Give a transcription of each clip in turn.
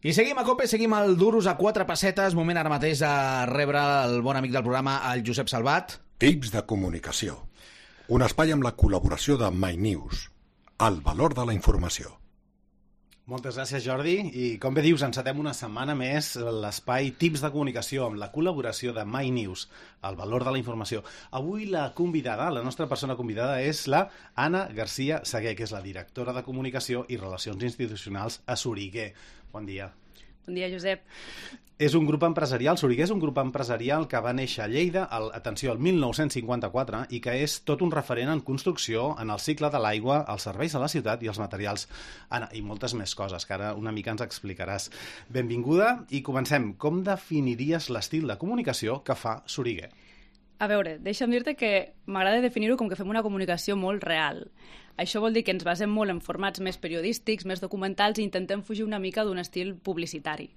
I seguim a COPE, seguim al Duros a 4 pessetes. Moment ara mateix de rebre el bon amic del programa, el Josep Salvat. Tips de comunicació. Un espai amb la col·laboració de MyNews. El valor de la informació. Moltes gràcies, Jordi. I com bé dius, encetem una setmana més l'espai Tips de comunicació amb la col·laboració de MyNews, el valor de la informació. Avui la convidada, la nostra persona convidada, és la Anna Garcia Segué, que és la directora de Comunicació i Relacions Institucionals a Soriguer. Bon dia. Bon dia, Josep. És un grup empresarial, Soriguer és un grup empresarial que va néixer a Lleida, atenció, el 1954, i que és tot un referent en construcció, en el cicle de l'aigua, els serveis a la ciutat i els materials, i moltes més coses, que ara una mica ens explicaràs. Benvinguda i comencem. Com definiries l'estil de comunicació que fa Soriguer? A veure, deixa'm dir-te que m'agrada definir-ho com que fem una comunicació molt real. Això vol dir que ens basem molt en formats més periodístics, més documentals, i intentem fugir una mica d'un estil publicitari.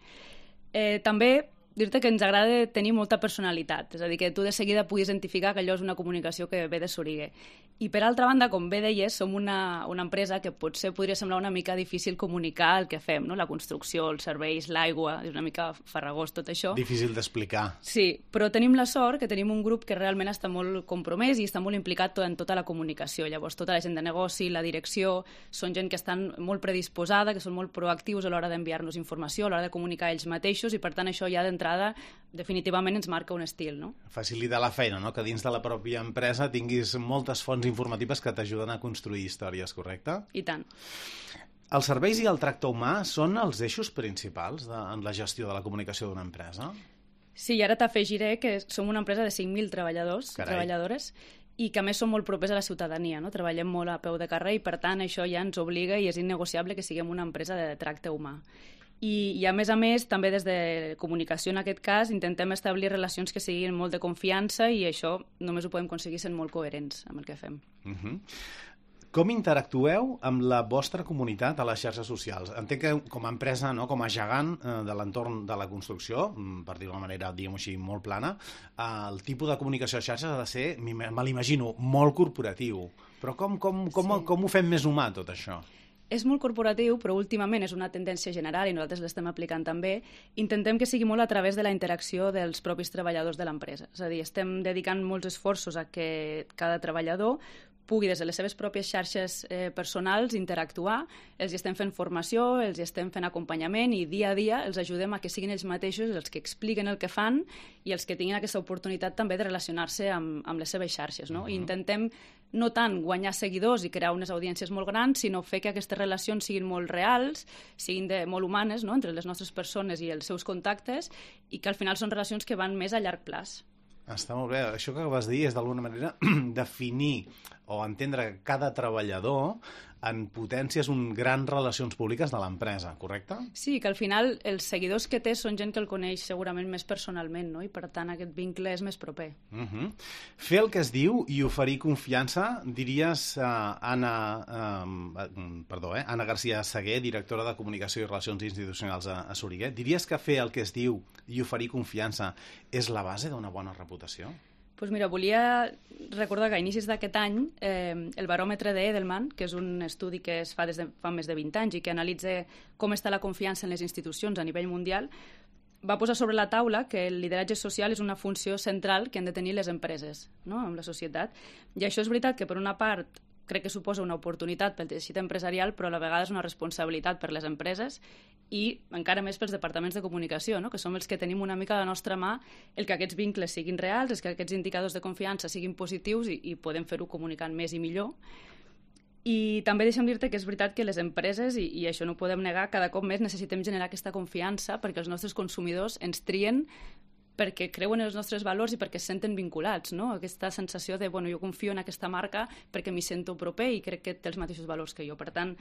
També dir-te que ens agrada tenir molta personalitat, és a dir, que tu de seguida puguis identificar que allò és una comunicació que ve de Soriguer. I per altra banda, com bé deies, som una empresa que potser podria semblar una mica difícil comunicar el que fem, no? La construcció, els serveis, l'aigua, és una mica farragós tot això. Difícil d'explicar. Sí, però tenim la sort que tenim un grup que realment està molt compromès i està molt implicat en tota la comunicació. Llavors, tota la gent de negoci, la direcció, són gent que estan molt predisposada, que són molt proactius a l'hora d'enviar-nos informació, a l'hora de comunicar ells mateixos, i per tant això ja d'entrada definitivament ens marca un estil, no? Facilita la feina, no? Que dins de la pròpia empresa tinguis moltes fonts informatives que t'ajuden a construir històries, correcte? I tant. Els serveis i el tracte humà són els eixos principals en la gestió de la comunicació d'una empresa? Sí, i ara t'afegiré que som una empresa de 5.000 treballadors, treballadores, i que a més som molt propers a la ciutadania, no? Treballem molt a peu de carrer i per tant això ja ens obliga i és innegociable que siguem una empresa de tracte humà. I a més, també des de comunicació en aquest cas intentem establir relacions que siguin molt de confiança i això només ho podem aconseguir sent molt coherents amb el que fem. Com interactueu amb la vostra comunitat a les xarxes socials? Entenc que com a empresa, no, com a gegant de l'entorn de la construcció, per dir-ho d'una manera, diguem-ho així, molt plana, el tipus de comunicació a xarxes ha de ser, me l'imagino, molt corporatiu. Però com ho fem més humà, tot això? És molt corporatiu, però últimament és una tendència general i nosaltres l'estem aplicant també. Intentem que sigui molt a través de la interacció dels propis treballadors de l'empresa. És a dir, estem dedicant molts esforços a que cada treballador pugui des de les seves pròpies xarxes personals interactuar, els estem fent formació, els estem fent acompanyament i dia a dia els ajudem a que siguin ells mateixos els que expliquen el que fan i els que tinguin aquesta oportunitat també de relacionar-se amb les seves xarxes, no? I intentem no tant guanyar seguidors i crear unes audiències molt grans, sinó fer que aquestes relacions siguin molt reals, siguin molt humanes, no? Entre les nostres persones i els seus contactes, i que al final són relacions que van més a llarg plaç. Està molt bé. Això que vas dir és d'alguna manera definir o entendre cada treballador en potències grans relacions públiques de l'empresa, correcte? Sí, que al final els seguidors que té són gent que el coneix segurament més personalment, no? I per tant aquest vincle és més proper. Fer el que es diu i oferir confiança, diries, Anna Garcia Segué, directora de Comunicació i Relacions Institucionals a Soriguer, diries que fer el que es diu i oferir confiança és la base d'una bona reputació? Doncs mira, volia recordar que a inicis d'aquest any el baròmetre d'Edelman, que és un estudi que es fa des de fa més de 20 anys i que analitza com està la confiança en les institucions a nivell mundial, va posar sobre la taula que el lideratge social és una funció central que han de tenir les empreses, no?, en la societat. I això és veritat que, per una part, crec que suposa una oportunitat pel teixit empresarial, però a la vegada és una responsabilitat per les empreses i encara més pels departaments de comunicació, no? Que som els que tenim una mica a la nostra mà el que aquests vincles siguin reals, que aquests indicadors de confiança siguin positius i podem fer-ho comunicant més i millor. I també deixa'm dir-te que és veritat que les empreses, i això no ho podem negar, cada cop més necessitem generar aquesta confiança perquè els nostres consumidors ens trien perquè creuen en els nostres valors i perquè es senten vinculats, no? Aquesta sensació de, bueno, jo confio en aquesta marca perquè m'hi sento proper i crec que té els mateixos valors que jo. Per tant,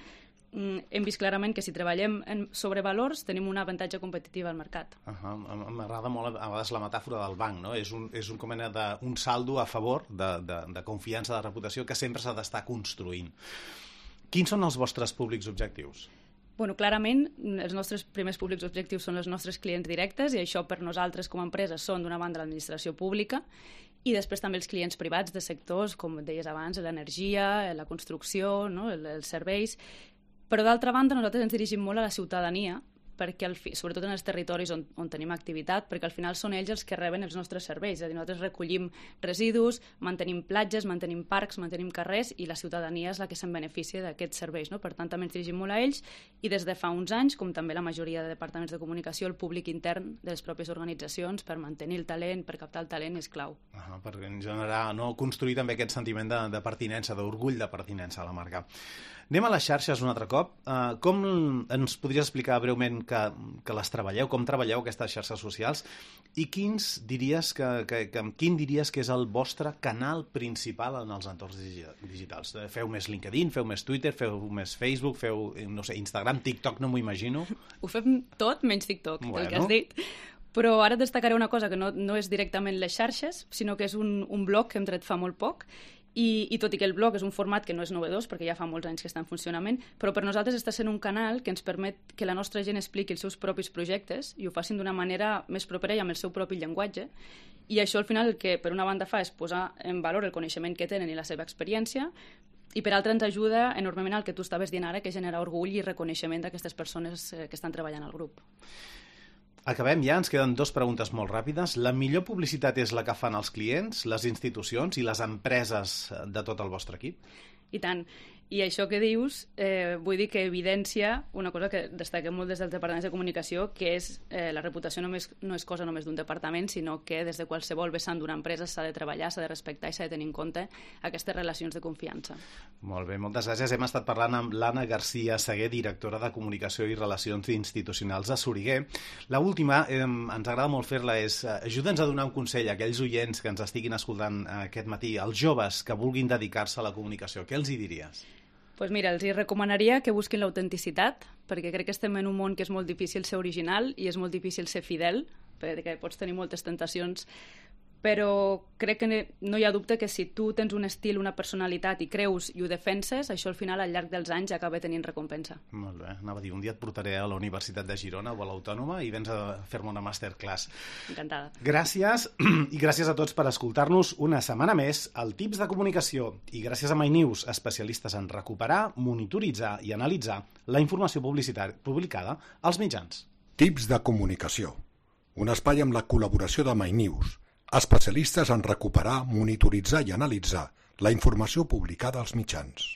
hem vist clarament que si treballem sobre valors tenim un avantatge competitiu al mercat. M'agrada molt a vegades la metàfora del banc, no? És un com un saldo a favor de confiança, de reputació que sempre s'ha d'estar construint. Quins són els vostres públics objectius? Bueno, clarament, els nostres primers públics objectius són els nostres clients directes i això per nosaltres com a empresa són d'una banda l'administració pública i després també els clients privats de sectors, com deies abans, l'energia, la construcció, no? Els serveis. Però d'altra banda nosaltres ens dirigim molt a la ciutadania perquè sobretot en els territoris on tenim activitat, perquè al final són ells els que reben els nostres serveis. És a dir, nosaltres recollim residus, mantenim platges, mantenim parcs, mantenim carrers, i la ciutadania és la que se'n beneficia d'aquests serveis, no? Per tant, també ens dirigim molt a ells, i des de fa uns anys, com també la majoria de departaments de comunicació, el públic intern de les pròpies organitzacions per mantenir el talent, per captar el talent, és clau. Per generar, construir també aquest sentiment de pertinença, d'orgull de pertinença a la marca. Anem a les xarxes un altre cop. Com ens podries explicar breument que les treballeu, com treballeu aquestes xarxes socials, i quin diries que és el vostre canal principal en els entorns digitals? Feu més LinkedIn, feu més Twitter, feu més Facebook, feu, no sé, Instagram, TikTok, no m'ho imagino. Ho fem tot menys TikTok, el que has dit. Però ara destacaré una cosa que no és directament les xarxes, sinó que és un blog que hem tret fa molt poc, i tot i que el blog és un format que no és novedós, perquè ja fa molts anys que està en funcionament, però per nosaltres està sent un canal que ens permet que la nostra gent expliqui els seus propis projectes i ho facin d'una manera més propera i amb el seu propi llenguatge. I això al final el que per una banda fa és posar en valor el coneixement que tenen i la seva experiència, i per altra ens ajuda enormement al que tu estaves dient ara, que és generar orgull i reconeixement d'aquestes persones que estan treballant al grup. Acabem ja, ens queden 2 preguntes molt ràpides. La millor publicitat és la que fan els clients, les institucions i les empreses de tot el vostre equip? I tant. I això que dius, vull dir que evidència una cosa que destaquem molt des dels departaments de comunicació, que és la reputació no és cosa només d'un departament, sinó que des de qualsevol vessant d'una empresa s'ha de treballar, s'ha de respectar i s'ha de tenir en compte aquestes relacions de confiança. Molt bé, moltes gràcies. Hem estat parlant amb l'Anna García Segué, directora de Comunicació i Relacions Institucionals a Soriguer. L'última, ens agrada molt fer-la, és ajuda'ns a donar un consell a aquells oients que ens estiguin escoltant aquest matí, als joves que vulguin dedicar-se a la comunicació. Què els hi diries? Doncs mira, els recomanaria que busquin l'autenticitat, perquè crec que estem en un món que és molt difícil ser original i és molt difícil ser fidel, perquè pots tenir moltes tentacions, però crec que no hi ha dubte que si tu tens un estil, una personalitat i creus i ho defenses, això al final al llarg dels anys acaba tenint recompensa. Molt bé, anava a dir, un dia et portaré a la Universitat de Girona o a l'Autònoma i vens a fer-me una masterclass. Encantada. Gràcies, i gràcies a tots per escoltar-nos una setmana més al Tips de Comunicació, i gràcies a MyNews, especialistes en recuperar, monitoritzar i analitzar la informació publicada als mitjans. Tips de Comunicació, un espai amb la col·laboració de MyNews, especialistes en recuperar, monitoritzar i analitzar la informació publicada als mitjans.